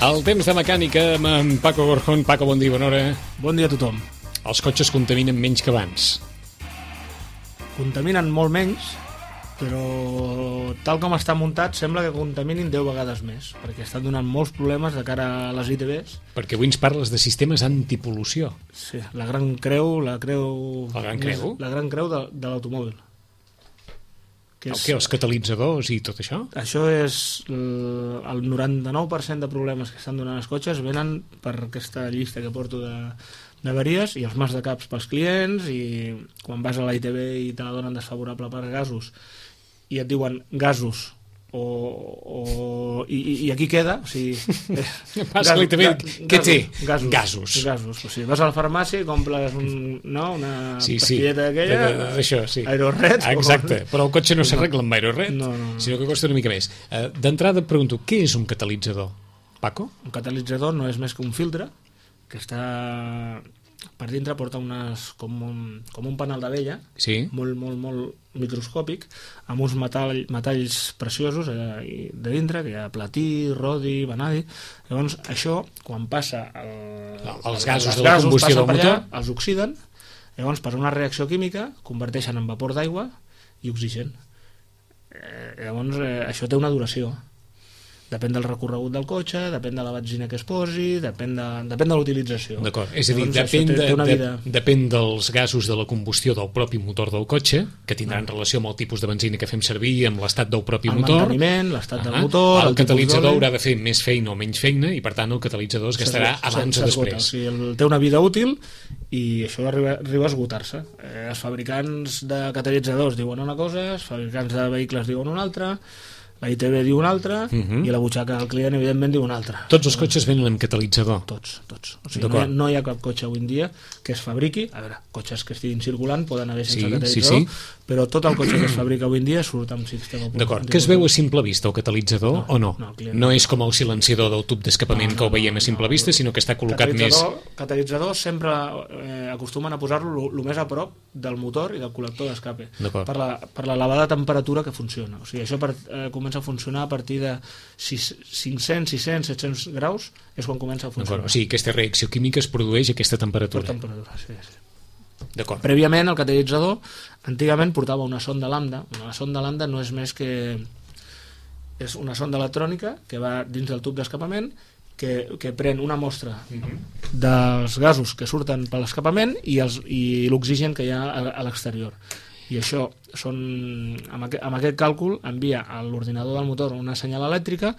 El temps de mecànica amb en Paco Gorjón. Paco, bon dia, bona hora. Bon dia a tothom. Els cotxes contaminen menys que abans. Contaminen molt menys, però tal com està muntat sembla que contaminin 10 vegades més, perquè estan donant molts problemes de cara a les ITBs. Perquè avui ens parles de sistemes antipol·lució. Sí, la gran creu... La gran creu? La gran creu de l'automòbil. Què, els catalitzadors i tot això? Això és el 99% de problemes que estan donant els cotxes venen per aquesta llista que porto d'averies i els mals de caps pels clients, i quan vas a la ITB i te la donen desfavorable per gasos i et diuen gasos i aquí queda, o sigui, vas a la ITB, què té? Gasos. O sigui, vas a la farmàcia i compres una pastilleta d'aquella, Aerored. Exacte, però el cotxe no s'arregla amb Aerored, sinó que costa una mica més. D'entrada et pregunto, què és un catalitzador, Paco? Un catalitzador no és més que un filtre que està per dintre, porta com un panal d'abella, molt microscòpic, amb uns metalls preciosos de dintre, que hi ha platí, rodi, vanadi. Llavors això, quan passa els gasos de la combustió del motor, els oxiden, llavors per una reacció química converteixen en vapor d'aigua i oxigen. Llavors això té una duració. Depèn del recorregut del cotxe, depèn de la benzina que es posi, depèn de l'utilització. D'acord, és a dir, depèn dels gasos de la combustió del propi motor del cotxe, que tindran relació amb el tipus de benzina que fem servir, amb l'estat del propi motor. El manteniment, l'estat del motor... El catalitzador haurà de fer més feina o menys feina, i per tant el catalitzador es gastarà abans o després. O sigui, té una vida útil i això arriba a esgotar-se. Els fabricants de catalitzadors diuen una cosa, els fabricants de vehicles diuen una altra, la ITB diu una altra i la butxaca del client evidentment diu una altra. Tots els cotxes venen amb catalitzador? Tots. O sigui, no hi ha cap cotxe avui en dia que es fabriqui, a veure, cotxes que estiguin circulant poden haver sense catalitzador, però tot el cotxe que es fabrica avui en dia surt amb sistema. D'acord, que es veu a simple vista el catalitzador o no? No és com el silenciador del tub d'escapament que ho veiem a simple vista, sinó que està col·locat més... Catalitzador sempre acostumen a posar-lo el més a prop del motor i del col·lector d'escape, per l'elevada temperatura que funciona. O sigui, això comença a funcionar a partir de 500, 600, 700 graus és quan comença a funcionar. O sigui, aquesta reacció química es produeix a aquesta temperatura. Per temperatura, sí. D'acord. Prèviament, el catalitzador antigament portava una sonda lambda. Una sonda lambda no és més que... és una sonda electrònica que va dins del tub d'escapament, que pren una mostra dels gasos que surten per l'escapament i l'oxigen que hi ha a l'exterior. I això amb aquest càlcul envia a l'ordinador del motor una senyal elèctrica,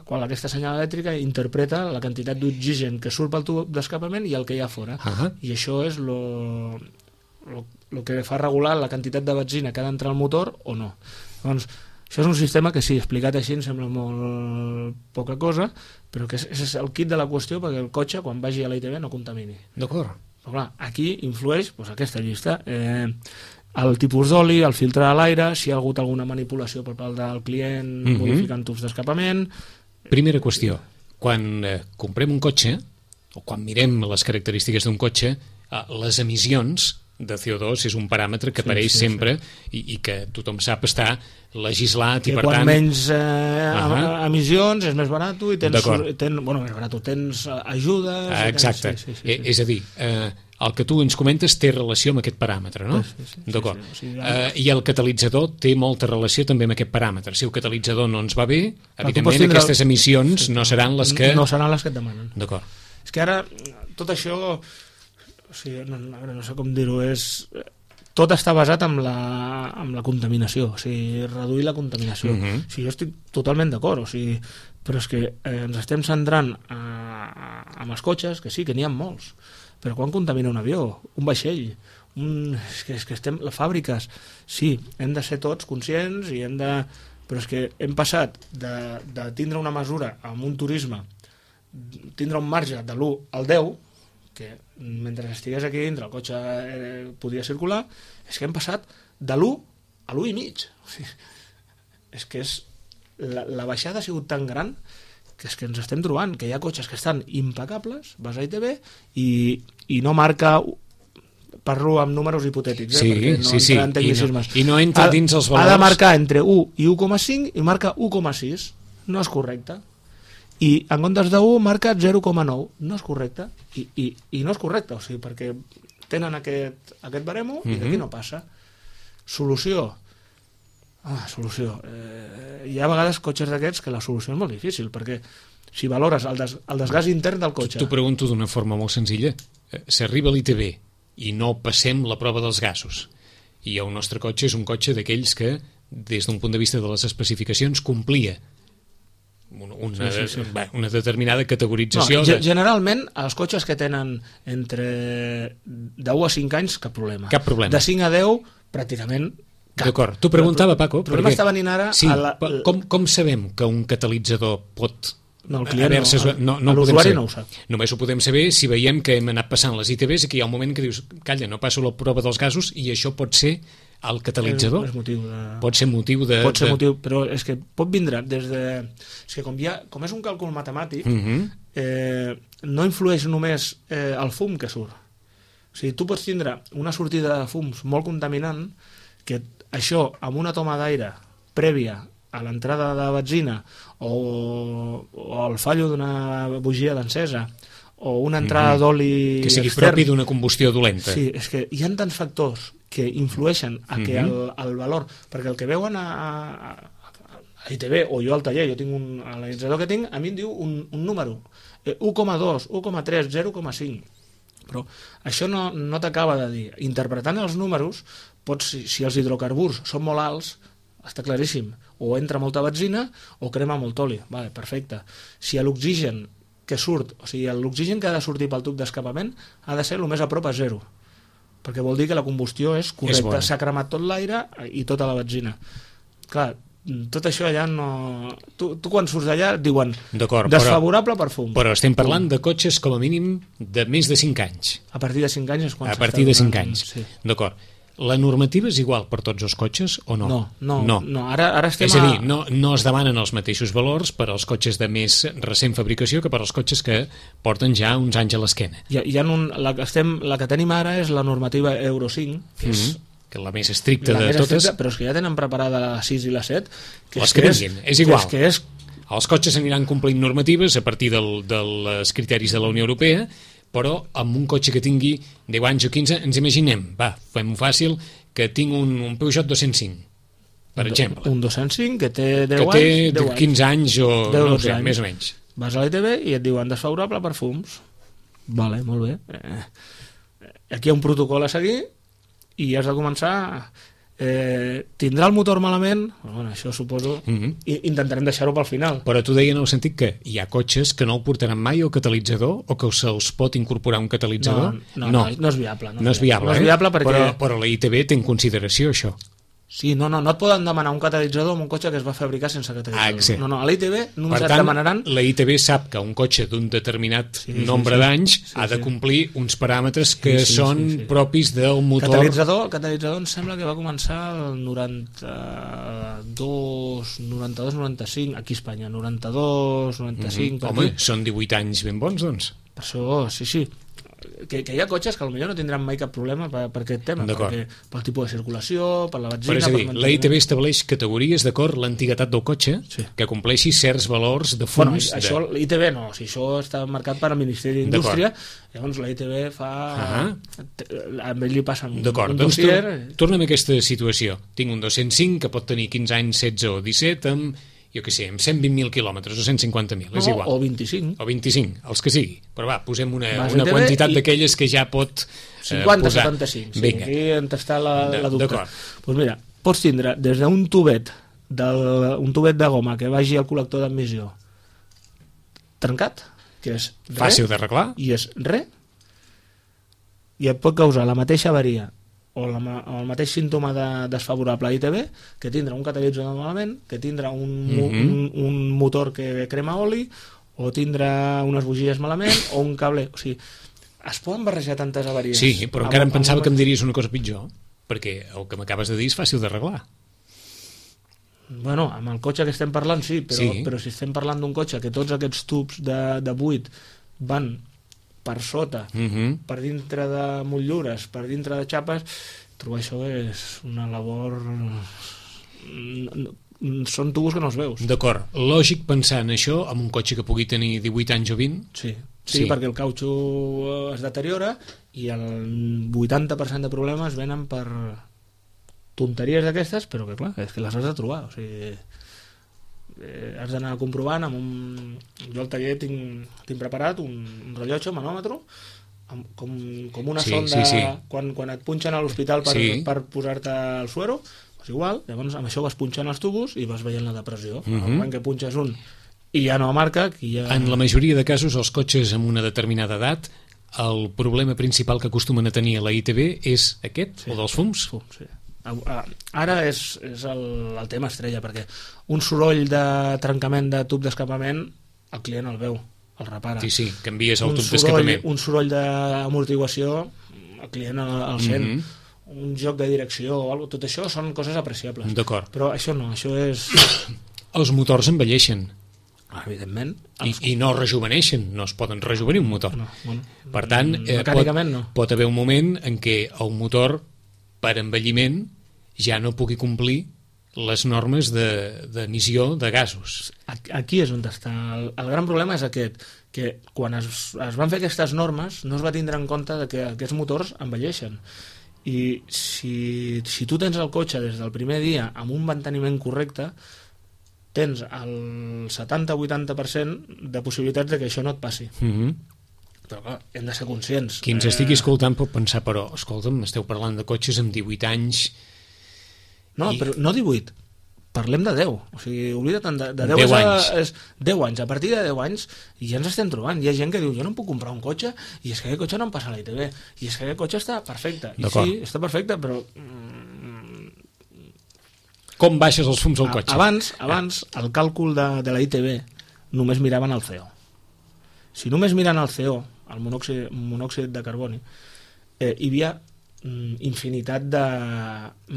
quan aquesta senyal elèctrica interpreta la quantitat d'oxigen que surt pel tub d'escapament i el que hi ha fora. I això és el que fa regular la quantitat de benzina que ha d'entrar al motor o no. Doncs això és un sistema que sí, explicat així em sembla molt poca cosa, però que és el kit de la qüestió perquè el cotxe quan vagi a la ITB no contamini. D'acord. Però clar, aquí influeix aquesta llista. El tipus d'oli, el filtre de l'aire, si hi ha hagut alguna manipulació per part del client modificant tubs d'escapament... Primera qüestió, quan comprem un cotxe, o quan mirem les característiques d'un cotxe, les emissions de CO2 és un paràmetre que apareix sempre i que tothom sap està legislat i per tant... Quan menys emissions és més barat i tens ajudes... Exacte, és a dir... El que tu ens comentes té relació amb aquest paràmetre, no? D'acord. I el catalitzador té molta relació també amb aquest paràmetre. Si el catalitzador no ens va bé, evidentment aquestes emissions no seran les que... No seran les que et demanen. D'acord. És que ara tot això, no sé com dir-ho, tot està basat en la contaminació, o sigui, reduir la contaminació. O sigui, jo estic totalment d'acord, però és que ens estem centrant amb els cotxes, que sí, que n'hi ha molts, però quan contamina un avió, un vaixell, és que estem... Les fàbriques, sí, hem de ser tots conscients i hem de... Però és que hem passat de tindre una mesura amb un turisme, tindre un marge de l'1 al 10, que mentre estigués aquí dintre el cotxe podia circular, és que hem passat de l'1 a l'1,5. O sigui, és que la baixada ha sigut tan gran que és que ens estem trobant que hi ha cotxes que estan impecables, vas a ITB i no marca, parlo amb números hipotètics, perquè no entra en tecnicismes. I no entra dins els valors... Ha de marcar entre 1 i 1,5 i marca 1,6. No és correcte. i en comptes d'1 marca 0,9. No és correcte, i no és correcte, o sigui, perquè tenen aquest baremo i d'aquí no passa. Solució. Hi ha a vegades cotxes d'aquests que la solució és molt difícil, perquè si valores el desgast intern del cotxe... T'ho pregunto d'una forma molt senzilla. S'arriba a l'ITB i no passem la prova dels gasos, i el nostre cotxe és un cotxe d'aquells que, des d'un punt de vista de les especificacions, complia una determinada categorització... Generalment, els cotxes que tenen entre 10 a 5 anys, cap problema. Cap problema. De 5 a 10, pràcticament cap. D'acord. T'ho preguntava, Paco. El problema està venint ara... Sí, com sabem que un catalitzador pot... No, el client no l'usuari no ho sap. Només ho podem saber si veiem que hem anat passant les ITBs i que hi ha un moment que dius, calla, no passo la prova dels gasos, i això pot ser el catalitzador. Pot ser motiu, però és que pot vindre des de... És que com és un càlcul matemàtic, no influeix només el fum que surt. O sigui, tu pots tindre una sortida de fums molt contaminant, que això, amb una toma d'aire prèvia a l'entrada de benzina o el fallo d'una bugia d'encesa o una entrada d'oli que sigui extern, propi d'una combustió dolenta. Sí, és que hi ha tants factors que influeixen a que el valor, perquè el que veuen a ITB o jo al taller, jo tinc l'analitzador que tinc, a mi em diu un número 1,2, 1,3, 0,5, però això no t'acaba de dir. Interpretant els números, si els hidrocarburs són molt alts, està claríssim, o entra molta benzina o crema molt oli, vale, perfecte. Si l'oxigen que surt, o sigui, l'oxigen que ha de sortir pel tub d'escapament ha de ser el més a prop a 0, perquè vol dir que la combustió és correcta, s'ha cremat tot l'aire i tota la benzina. Clar, tot això allà no... Tu quan surts d'allà et diuen desfavorable per fum. Però estem parlant de cotxes com a mínim de més de 5 anys. A partir de 5 anys és quan a partir de 5 anys, sí. D'acord. La normativa és igual per tots els cotxes o no? No. Ara estem és a dir, no es demanen els mateixos valors per als cotxes de més recent fabricació que per als cotxes que porten ja uns anys a l'esquena. La que tenim ara és la normativa Euro 5, que és que la més estricta de totes. Però és que ja tenen preparada la 6 i la 7. Les que vinguin, és igual. Els cotxes aniran complint normatives a partir dels criteris de la Unió Europea, però amb un cotxe que tingui 10 anys o 15, ens imaginem, fem-ho fàcil, que tinc un Peugeot 205, per exemple. Un 205 que té 10 anys. Que té 15 anys o no sé, més o menys. Vas a l'ITB i et diuen desfavorable per fums. Vale, molt bé. Aquí hi ha un protocol a seguir i has de començar... tindrà el motor malament? Bueno, això suposo... Intentarem deixar-ho pel final. Però tu deia en el sentit que hi ha cotxes que no el portaran mai el catalitzador o que se'ls pot incorporar un catalitzador? No és viable. No és viable perquè... Però la ITB té en consideració això. Sí, no et poden demanar un catalitzador amb un cotxe que es va fabricar sense catalitzador. No, a l'ITB només et demanaran... La ITB sap que un cotxe d'un determinat nombre d'anys ha de complir uns paràmetres que són propis del motor. El catalitzador em sembla que va començar el 92-95, aquí a Espanya, 92-95... Home, són 18 anys ben bons, doncs. Per això, sí. Que hi ha cotxes que potser no tindran mai cap problema per aquest tema, pel tipus de circulació, per la benzina... Però és a dir, la ITB estableix categories d'acord l'antiguitat del cotxe que compleixi certs valors de fums... Bueno, això l'ITB no, si això està marcat per al Ministeri d'Indústria, llavors la ITB fa... A ell li passen un dossier... Doncs torna'm a aquesta situació. Tinc un 205 que pot tenir 15 anys, 16 o 17 amb... jo què sé, amb 120.000 quilòmetres o 150.000, és igual. O 25. O 25, els que sigui. Però posem una quantitat d'aquelles que ja pot 50, 75, sí. Aquí on està la dubte. Doncs mira, pots tindre des d'un tubet de goma que vagi al col·lector d'admissió trencat, que és fàcil d'arreglar, i és i et pot causar la mateixa avaria o el mateix símptoma desfavorable a ITB, que tindrà un catalitzador malament, que tindrà un motor que crema oli, o tindrà unes bugies malament, o un cable... O sigui, es poden barrejar tantes avaries. Sí, però encara em pensava que em diries una cosa pitjor, perquè el que m'acabes de dir és fàcil d'arreglar. Bueno, amb el cotxe que estem parlant sí, però si estem parlant d'un cotxe que tots aquests tubs de buit van per sota, per dintre de motllures, per dintre de xapes, trobar això és una labor són tubos que no els veus. D'acord. Lògic pensar en això amb un cotxe que pugui tenir 18 anys o 20? Sí, perquè el cautxú es deteriora i el 80% de problemes venen per tonteries d'aquestes, però que clar, és que les has de trobar, o sigui, has d'anar comprovant amb un... Jo al taller tinc preparat un rellotge, un manòmetre, com una sonda. Quan et punxen a l'hospital per posar-te el suero, doncs igual, llavors amb això vas punxant els tubos i vas veient la depressió. Quan que punxes un i ja no marca, En la majoria de casos, els cotxes amb una determinada edat, el problema principal que acostumen a tenir a la ITV és aquest, o dels fums? Sí. Ara és el tema estrella, perquè un soroll de trencament de tub d'escapament el client el veu, el repara. Sí, canvies el tub d'escapament. Un soroll d'amortiguació el client el sent. Un joc de direcció o alguna cosa, tot això són coses apreciables. D'acord. Però això no, això és... Els motors envelleixen. Evidentment. I no rejuveneixen, no es poden rejuvenir un motor. Per tant, mecànicament pot haver un moment en què el motor, per envelliment, ja no pugui complir les normes d'emissió de gasos. Aquí és on està. El gran problema és aquest, que quan es van fer aquestes normes no es va tindre en compte que aquests motors envelleixen. I si tu tens el cotxe des del primer dia amb un manteniment correcte, tens el 70-80% de possibilitats de que això no et passi. Però clar, hem de ser conscients. Qui ens estigui escoltant pot pensar, però escolta'm, esteu parlant de cotxes amb 18 anys... No, però no 18, parlem de 10. O sigui, oblida't, de 10 anys. És 10 anys. A partir de 10 anys ja ens estem trobant. Hi ha gent que diu, jo no em puc comprar un cotxe i és que aquest cotxe no em passa a la ITV. I és que aquest cotxe està perfecte. I sí, està perfecte, però... Com baixes els fums al cotxe? Abans el càlcul de la ITV només miraven el CO. Si només miren el CO, el monòxid de carboni, hi havia infinitat de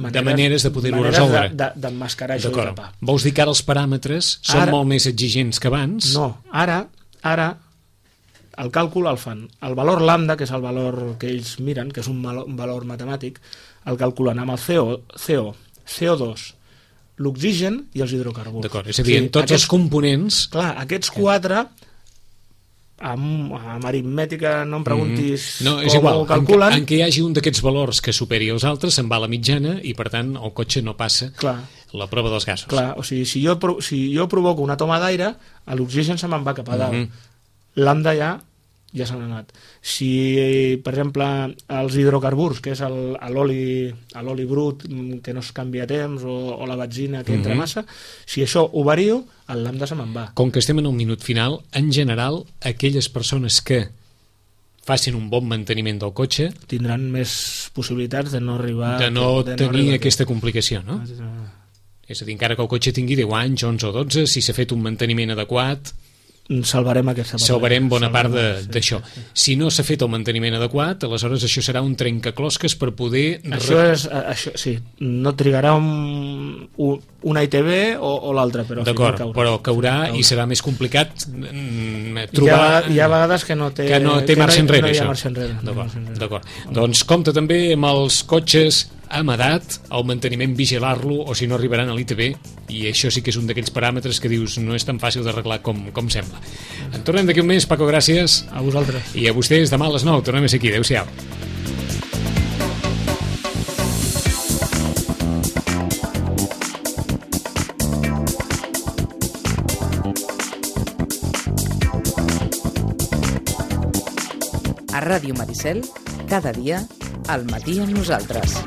maneres de poder-ho resoldre, d'emmascarar això i tapar. Vols dir que ara els paràmetres són molt més exigents que abans? No, ara el càlcul el fan, el valor lambda, que és el valor que ells miren, que és un valor matemàtic, el calculen amb el CO, CO2, l'oxigen i els hidrocarburs. D'acord, és a dir, tots els components... Clar, aquests quatre... amb aritmètica no em preguntis com ho calculen. En què hi hagi un d'aquests valors que superi els altres se'n va a la mitjana i per tant el cotxe no passa la prova dels gasos. Clar, o sigui, si jo provoco una toma d'aire, l'oxigen se me'n va cap a dalt. Lambda ja se n'ha anat. Si, per exemple, els hidrocarburs, que és l'oli brut que no es canvia a temps, o la benzina que entra massa, si això ho vario, el lambda se me'n va. Com que estem en el minut final, en general, aquelles persones que facin un bon manteniment del cotxe tindran més possibilitats de no arribar... de no tenir aquesta complicació, no? És a dir, encara que el cotxe tingui 10 anys, 11 o 12, si s'ha fet un manteniment adequat... salvarem aquesta part. Salvarem bona part d'això. Si no s'ha fet el manteniment adequat, aleshores això serà un trencaclosques per poder... Això sí, no trigarà una ITV o l'altra, però d'acord, però caurà i serà més complicat trobar... Hi ha vegades que no té marxa enrere, això. D'acord. Doncs compte també amb els cotxes amb edat, el manteniment vigilar-lo, o si no arribaran a l'ITV, i això sí que és un d'aquells paràmetres que dius no és tan fàcil d'arreglar com sembla. En tornem d'aquí un mes, Paco, gràcies. A vosaltres. I a vostès demà a les 9, tornem a ser aquí. Adéu-siau. A Ràdio Maricel, cada dia, al matí amb nosaltres.